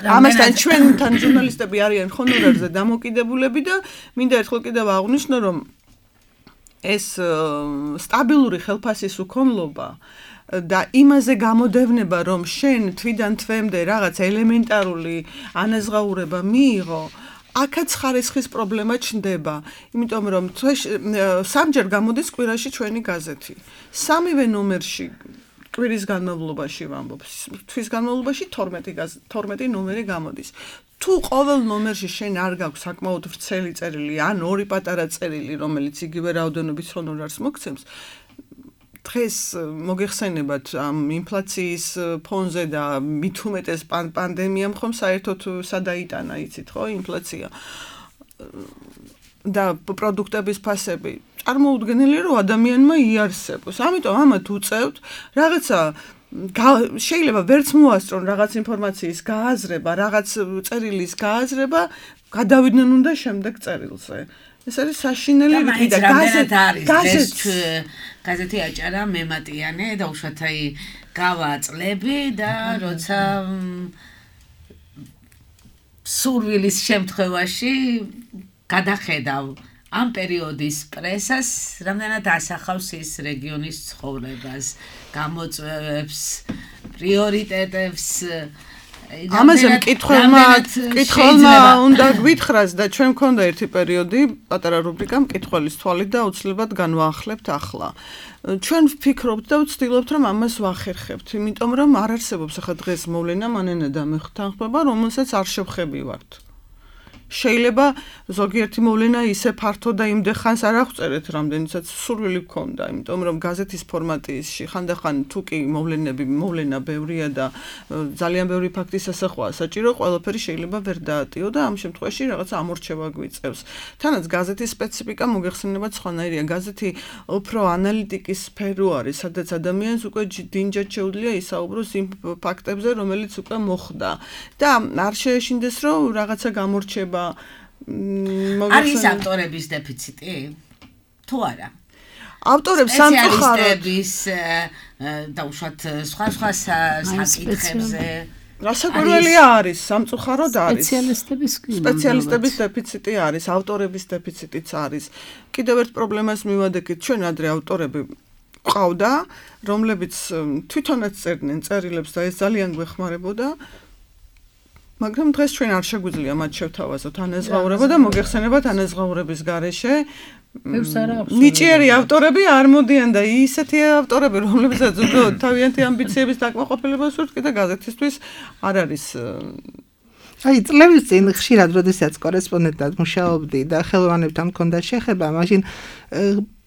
ამასთან ჩვენთან ჟურნალისტები არიან ჰონორარზე დამოკიდებულები და მინდა ერთხელ კიდევ აღვნიშნო, რომ ეს სტაბილური ხელფასის უქონლობა და იმაზე გამოდევნება, რომ შენ თვიდან თვემდე რაღაც ელემენტარული ანაზღაურება მიიღო, აქაც ხარისხის პრობლემა ჩნდება, იმიტომ რომ სამჯერ გამოდის კვირაში ჩვენი გაზეთი. სამივე ნომერში კვირის განმავლობაში ვამბობ, თვის განმავლობაში 12 ნომერი გამოდის. თუ ყოველ ნომერში შენ არ გაქვს საკმაოდ ვრცელი წერილი ან ორი პატარა წერილი, რომელიც იგივე რაოდენობის ჰონორარს მოგცემს, დღეს მოგეხსენებათ ამ ინფლაციის ფონზე და მით უმეტეს პანდემიამ ხომ საერთოდ სადაიტანა, იცით ხო, ინფლაცია და პროდუქტების ფასები. წარმოუდგენელია, რომ ადამიანმა იარსებოს. ამიტომ ამათ უწევთ რაღაცა შეიძლება ვერც მოასწრონ რაღაც ინფორმაციის გააზრება, რაღაც წერილის გააზრება, გადავიდნენ უნდა შემდეგ წერილზე. ეს არის საშინელი რითი და გაზეთი აჭარა მემატიანე და უშუალოდ აი გავა წლები და როცა სურვილის შემთხვევაში გადახედავ ამ პერიოდის პრესას, რამდენად ასახავს ის რეგიონის ცხოვრებას, გამოწვევებს, პრიორიტეტებს. ამაზე მკითხველმა უნდა გვითხრას და ჩვენ მქონდა ერთი პერიოდი, პატარა რუბრიკა მკითხველის თვალით და აუცილებლად განვაახლებთ ახლა. ჩვენ ვფიქრობთ და ვცდილობთ, რომ ამას ვახერხებთ, იმიტომ რომ არ არსებობს ახლა დღეს მოვლენა მანენა და მე ხთანხმება, რომელსაც არ შევხებივართ. შეიძლება ზოგიერთი მოვლენა ისე ფართო და იმდე ხანს არ აღწერეთ, რამდენიცაც სურვილი გქონდა, იმიტომ რომ გაზეთის ფორმატში ხანდახან თუ კი მოვლენა ბევრია და ძალიან ბევრი ფაქტის ასახვაა საჭირო, ყველაფერი შეიძლება ვერ დაატიო და ამ შემთხვევაში რაღაცა ამორჩევა გვიწევს. თანაც გაზეთის სპეციფიკა მოგეხსენებათ სხვანაირია. გაზეთი უფრო ანალიტიკის სფერო არის, სადაც ადამიანს უკვე დინჯად შეუძლია ისაუბროს იმ ფაქტებზე, რომელიც უკვე მოხდა და არ შეეშინდეს, რომ რაღაცა გამორჩება არის ავტორების დეფიციტი? თუ არა? ავტორებს სამწუხაროდ და უშუალოდ სხვა საკითხებზე რასაკვირველია არის, სამწუხაროდ არის. სპეციალისტების დეფიციტი არის, ავტორების დეფიციტიც არის. კიდევ ერთ პრობლემას მივადექით, ჩვენ ადრე ავტორები ყავდა, რომლებიც თვითონაც წერდნენ წერილებს და ეს ძალიან გვეხმარებოდა. მაგრამ დღეს ჩვენ არ შეგვიძლია მათ შევთავაზოთ ანაზღაურება და მოგეხსენებათ ანაზღაურების გარეშე ნიჭიერი ავტორები არ მოდიან და ისეთი ავტორები, რომლებსაც უბრალოდ თავიანთი ამბიციების დაკმაყოფილება სურთ, კიდე გაზეთისთვის არ არის. აი, წლების წინ ხშირად, როდესაც კორესპონდენტად მუშაობდი და ხელოვანებთან მქონდა შეხება, მაშინ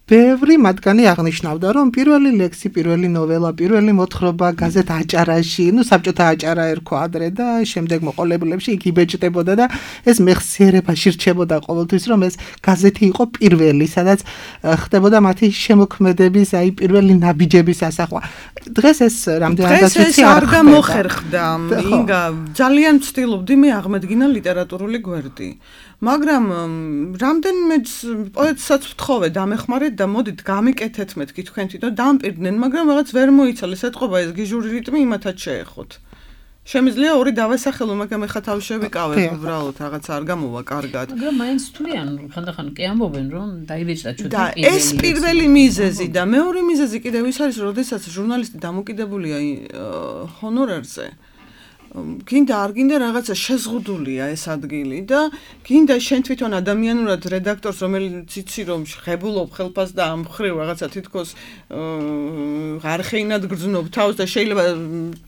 ბევრი მათგანი აღნიშნავდა, რომ პირველი ლექსი, პირველი ნოველა, პირველი მოთხრობა გაზეთ აჭარაში, საბჭოთა აჭარა ერქვა ადრე და შემდეგ მოყოლებულებში იქ იბეჭდებოდა და ეს მეხსიერებაში რჩებოდა ყოველთვის, რომ ეს გაზეთი იყო პირველი, სადაც ხდებოდა მათი შემოქმედების, აი პირველი ნაბიჯების ასახვა. დღეს ეს რამდენადაც ვიცი არ გამოხერხდა. ინგა, ძალიან ვცდილობდი მე აღმედგინა ლიტერატურული გვერდი. მაგრამ რამდენიმე პოეტსაც ვთხოვე დამეხმარეთ და მოდით გამიკეთეთ მეთქი თქვენთი და დამპირდნენ, მაგრამ რაღაც ვერ მოიცალეს ეთყობა ეს გიჟური რიტმი იმათაც შეეხოთ. შემიძლია ორი დავასახელო, მაგრამ ეხა თავში ვიკავებ უბრალოდ რაღაც არ გამოვა კარგად. მაგრამ მაინც თვლიან, ხანდახან კი ამბობენ, რომ დაიბეჭდა ჩუთი და ეს პირველი მიზეზი და მეორე მიზეზი კიდევ ის არის, როდესაც ჟურნალისტი დამოკიდებულია ჰონორარზე. გინდა არ გინდა რაღაცა შეზღუდულია ეს ადგილი და გინდა შენ თვითონ ადამიანურად რედაქტორს, რომელიც იცი რომ ღებულობ ხელფას და ამ ხრივ რაღაცა თითქოს არხეინად გრძნობ თავს და შეიძლება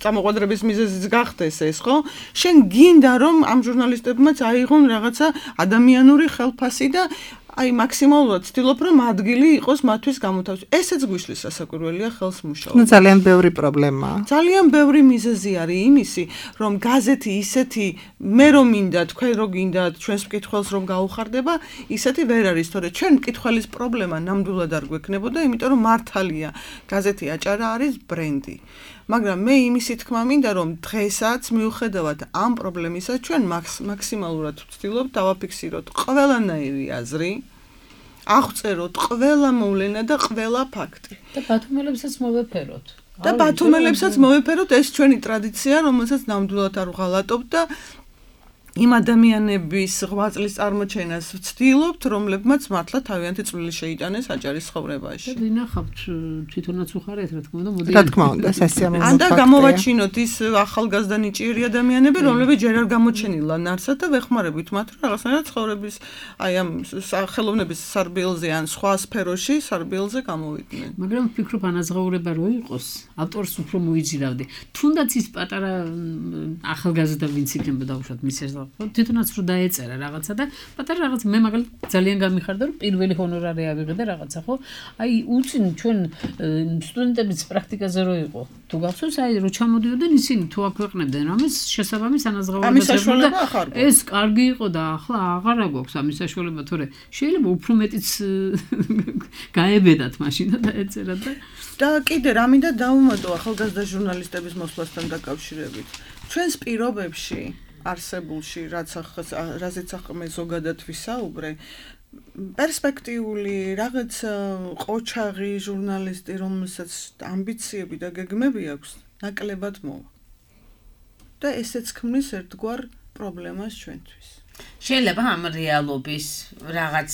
წამოყვადრების მიზეზიც გახდეს ეს, ხო? შენ გინდა რომ ამ ჟურნალისტებმაც აიღონ რაღაცა ადამიანური ხელფასი და აი მაქსიმალურად ვცდილობ რომ ადგილი იყოს მათთვის გამოთავსებული. ესეც გვიშლის სასაკვირველია ხელს მუშაობა. ძალიან ბევრი პრობლემაა. ძალიან ბევრი მიზეზი არის იმისი, რომ გაზეთი ისეთი მე რომ მინდა, თქვენ რო გინდათ, ჩვენს მკითხველს რომ გაუხარდება, ისეთი ვერ არის, თორე ჩვენ მკითხველის პრობლემა ნამდვილად არ გვექნებოდა, იმიტომ რომ მართალია, გაზეთი აჭარა არის ბრენდი. მაგრამ მე იმისი თქმა მინდა, რომ დღესაც მიუხედავად ამ პრობლემისა, ჩვენ მაქსიმალურად ვცდილობთ დავაფიქსიროთ ყველანაირი აზრი, აღწეროთ ყველა მოვლენა და ყველა ფაქტი. და ბათუმელებსაც მოვეფეროთ. და ბათუმელებსაც მოვეფეროთ, ეს ჩვენი ტრადიცია, რომელსაც ნამდვილად არ ვღალატობთ და იმ ადამიანების ღვაწლის წარმოჩენას ვცდილობთ, რომლებმაც მართლა თავიანთი წვლილი შეიტანეს აჭარის ცხოვრებაში. და ვინახავთ თვითონაც უხარეთ, რა თქმა უნდა, მოდით. რა თქმა უნდა, სასიამოვნო ფაქტია. ან და გამოვაჩინოთ ის ახალგაზრდა ნიჭიერი ადამიანები, რომლებიც ჯერ არ გამოჩენილან არსად და ვეხმარებით მათ, რომ რაღაცნაირად ცხოვრების, აი ამ ხელოვნების სარბიელზე ან სხვა სფეროში სარბიელზე გამოვიდნენ. მაგრამ ვფიქრობ, ანაზღაურება რო იყოს, ავტორს უფრო მოიძირავდი. თუნდაც ის პატარა ახალგაზრდა ვინც იქნებოდა უშუალოდ მის თვითონაც რო დაეწერა რაღაცა და პატარა რაღაც მე მაგალითად ძალიან გამიხარდა რომ პირველი ჰონორარი ავიღე და რაღაცა ხო აი უცინ ჩვენ სტუდენტების პრაქტიკაზე რო იყო თუ გახსოვს აი რო ჩამოდიოდნენ ისინი თუ აქვეყნებდნენ რამეს შესაბამის ანაზღაურებებს და ეს კარგი იყო და ახლა აღარა გვაქვს ამის საშუალება თორე შეიძლება უფრო მეტიც გაებედათ მაშინ და დაეწერა და კიდე რა მინდა დავუმატო ახალგაზრდა ჟურნალისტების მოსვლასთან დაკავშირებით ჩვენს პირობებში არსებულში რაზეც ახლა მე ზოგადად ვისაუბრე პერსპექტიული რაღაც ყოჩაღი ჟურნალისტი რომელსაც ამბიციები და გეგმები აქვს ნაკლებად მოვა და ესეც ქმნის ერთგვარ პრობლემას ჩვენთვის შეიძლება ამ რეალობის რაღაც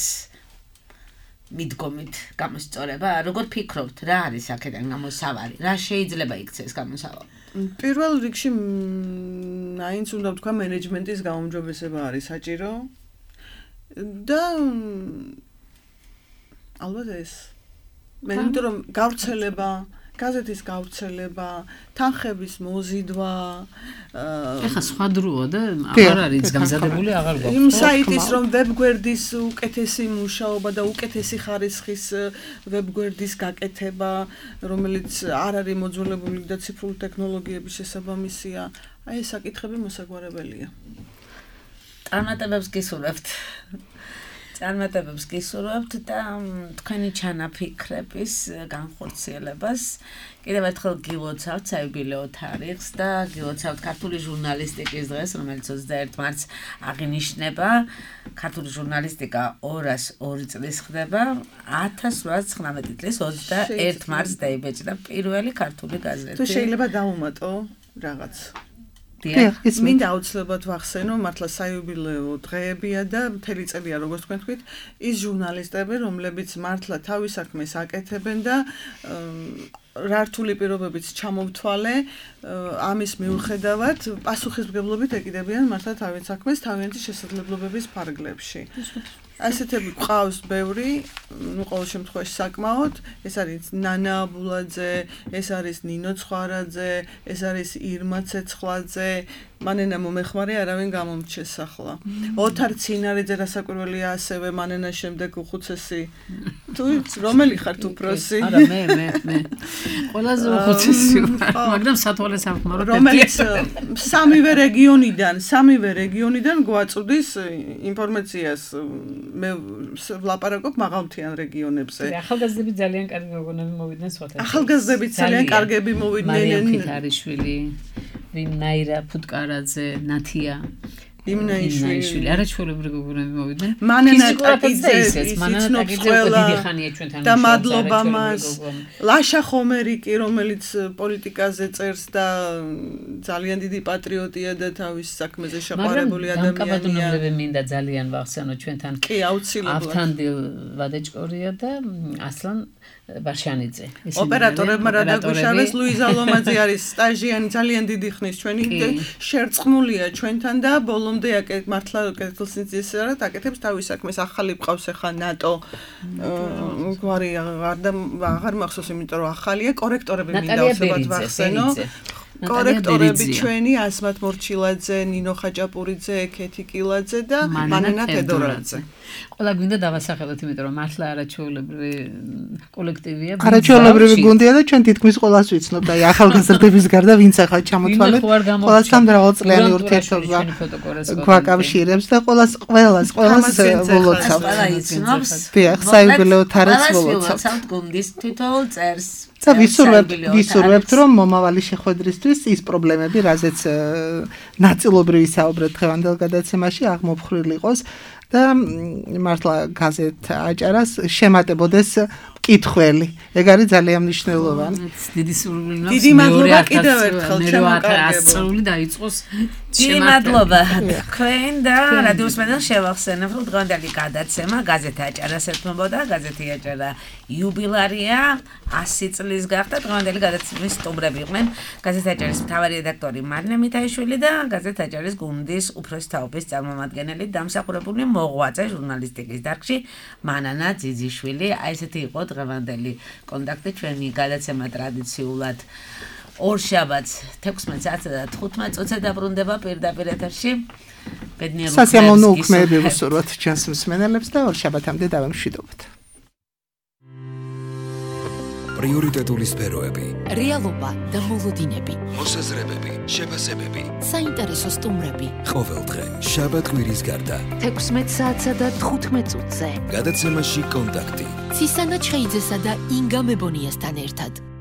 მიდგომით გამოსწორება როგორ ფიქრობთ რა არის აქედან გამოსავალი რა შეიძლება იქცეს გამოსავალი პირველ რიგში აინც უნდა ვთქვა მენეჯმენტის გაუმჯობესება არის საჭირო და ალბათ ეს მე იმიტომ რომ გავრცელება გაზეთის გავრცელება, თანხების მოზიდვა, ეხა სხვა დროა და აღარ არის გამზადებული აღარ გვაქვს. იმ საიტის რომ ვებგვერდის უკეთესი მუშაობა და უკეთესი ხარისხის ვებგვერდის გაკეთება, რომელიც არ არის მოძველებული და ციფრული ტექნოლოგიების შესაბამისია, აი ეს საკითხები მოსაგვარებელია. წარმატებებს გისურვებთ. წარმატებებს გისურვებთ და თქვენი ჩანაფიქრების განხორციელებას. კიდევ ერთხელ გილოცავთ საიუბილეო თარიღს და გილოცავთ ქართული ჟურნალისტიკის დღეს, რომელიც 21 მარტს აღინიშნება. ქართული ჟურნალისტიკა 202 წლის ხდება. 1819 წლის 21 მარტს დაიბეჭდა პირველი ქართული გაზეთი. თუ შეიძლება დავუმატო რაღაც მინდა აუცილებლად ვახსენო მართლა საიუბილეო დღეებია და მთელი წელია როგორც თქვენ თქვით ის ჟურნალისტები რომლებიც მართლა თავის საქმეს აკეთებენ და რართული პირობებიც ჩამოვთვალე ამის მიუხედავად პასუხისმგებლობით ეკიდებიან მართლა თავის საქმეს თავიანთი შესაძლებლობების ფარგლებში ასეთები ყავს ბევრი, ну ყოველ შემთხვევაში საკმაოდ, ეს არის ნანა აბულაძე, ეს არის ნინო ცხარაძე, ეს არის ირმა ცეცხლაძე, მანენა მომეხმარე არავინ გამომრჩეს ახლა. ოთარ ცინარიძე რასაკვირველია ასევე მანენას შემდეგ უხუცესი. თუ რომელი ხართ უფროსი? არა მე. ყველაზე უხუცესი ვარ, მაგრამ სათვალე საფხმარო რომელიც სამივე რეგიონიდან გვაწუდის ინფორმაციას მე ვლაპარაკობ მაღალმთიან რეგიონებზე. ახალგაზრდები ძალიან კარგი მოგონები მოვიდნენ სხვათა. ახალგაზრდები ძალიან კარგები მოვიდნენ. ფითარიშვილი, ვინაირა ფუტკარაძე, ნათია იმნაიშვილი არაჩვეულებრივი გოგონები მოვიდნენ. მანენა დიდი ხანია ჩვენთან და მადლობა მას. ლაშა ხომერიკი, რომელიც პოლიტიკაზე წერს და ძალიან დიდი პატრიოტია და თავის საქმეზე შეყვარებული ადამიანია. მაგრამ კაბადონებლები მინდა ძალიან ვახსენო ჩვენთან. კი, აუცილებლად. ავთანდილ ვადეჭკორია და ასლან ბარშანიძე. ოპერატორებმა რა დაგვიშავეს, ლუიზა ლომაძე არის სტაჟიანი ძალიან დიდი ხნის ჩვენი შერწყმულია ჩვენთან და ბოლომდე მართლა კეთილსინძის რა აკეთებს თავის საქმეს. ახალი ყავს ახლა ნატო გვარი აღარ მახსოვს, იმიტომ რომ ახალია კორექტორები მინდა უცებად ვახსენო. კორექტორები ჩვენი ასმათ მორჩილაძე, ნინო ხაჭაპურიძე, ქეთი კილაძე და მანენა თედორაძე. ყველა გვინდა დავასახელოთ, იმიტომ რომ მართლა არაჩვეულებრივი კოლექტივია. არაჩვეულებრივი გუნდია და ჩვენ თითქმის ყველას ვიცნობთ, აი ახალგაზრდების გარდა ვინც ახლა ჩამოთვალეთ, ყველასთან მრავალწლიანი ურთიერთობა გვაკავშირებს და ყველას ვლოცავთ. ყველა იცნობს. დიახ, საიუბილეო თარიღს ვლოცავთ. გუნდის თითოეულ წერს. და ვისურვებთ რომ მომავალი შეხვედრისთვის ის პრობლემები, რაზეც ნაწილობრივ ვისაუბრეთ დღევანდელ გადაცემაში, აღმოფხრილი იყოს და მართლა გაზეთ აჭარას შემატებოდეს კითხველი. ეგ არის ძალიან მნიშვნელოვანი. დიდი სურვილი მაქვს. დიდი მადლობა კიდევ ერთხელ ჩემკარგებო. წელი დაიწყოს. დიდი მადლობა თქვენ და რადიოს მედალს შევახსენებ, რომ დღევანდელი გადაცემა გაზეთ აჭარას ეთმობოდა, გაზეთი აჭარა იუბილარია 100 წლის გახდა. დღევანდელი გადაცემის სტუმრები იყვნენ გაზეთ აჭარის მთავარი რედაქტორი მარინა მითაიშვილი და გაზეთ აჭარის გუნდის უფროსი თაობის წარმომადგენელი დამსახურებული მოღვაწე ჟურნალისტიკის დარგში მანანა ძიძიშვილი. აი ესეთი იყო დღევანდელი კონტაქტი ჩვენი გადაცემა ტრადიციულად ორშაბათს 16 საათსა და 15 წუთზე დაბრუნდება პირდაპირ ეთერში. ბედნიერ სასიამოვნო უქმეები ვუსურვოთ ჩვენს მსმენელებს და ორშაბათამდე დავემშვიდობთ. პრიორიტეტული სფეროები, რეალობა და მოლოდინები, მოსაზრებები, შეფასებები, საინტერესო სტუმრები. ყოველდღე შაბათ-კვირის გარდა 16 საათსა და 15 წუთზე. გადაცემაში კონტაქტი. ცისანა ჩხეიძესა და ინგა მებონიასთან ერთად.